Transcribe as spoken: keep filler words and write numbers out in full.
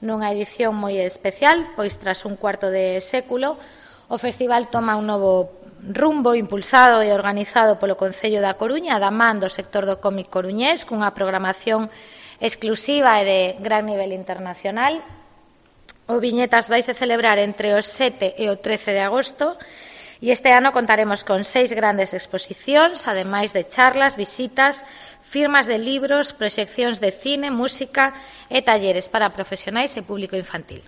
nunha edición moi especial, pois tras un cuarto de século o festival toma un novo rumbo impulsado e organizado polo Concello da Coruña, da man do sector do cómic coruñés, cunha programación exclusiva e de gran nivel internacional. O Viñetas vaise celebrar entre o sete e o trece de agosto e este ano contaremos con seis grandes exposicións, ademais de charlas, visitas, firmas de libros, proxeccións de cine, música e talleres para profesionais e público infantil.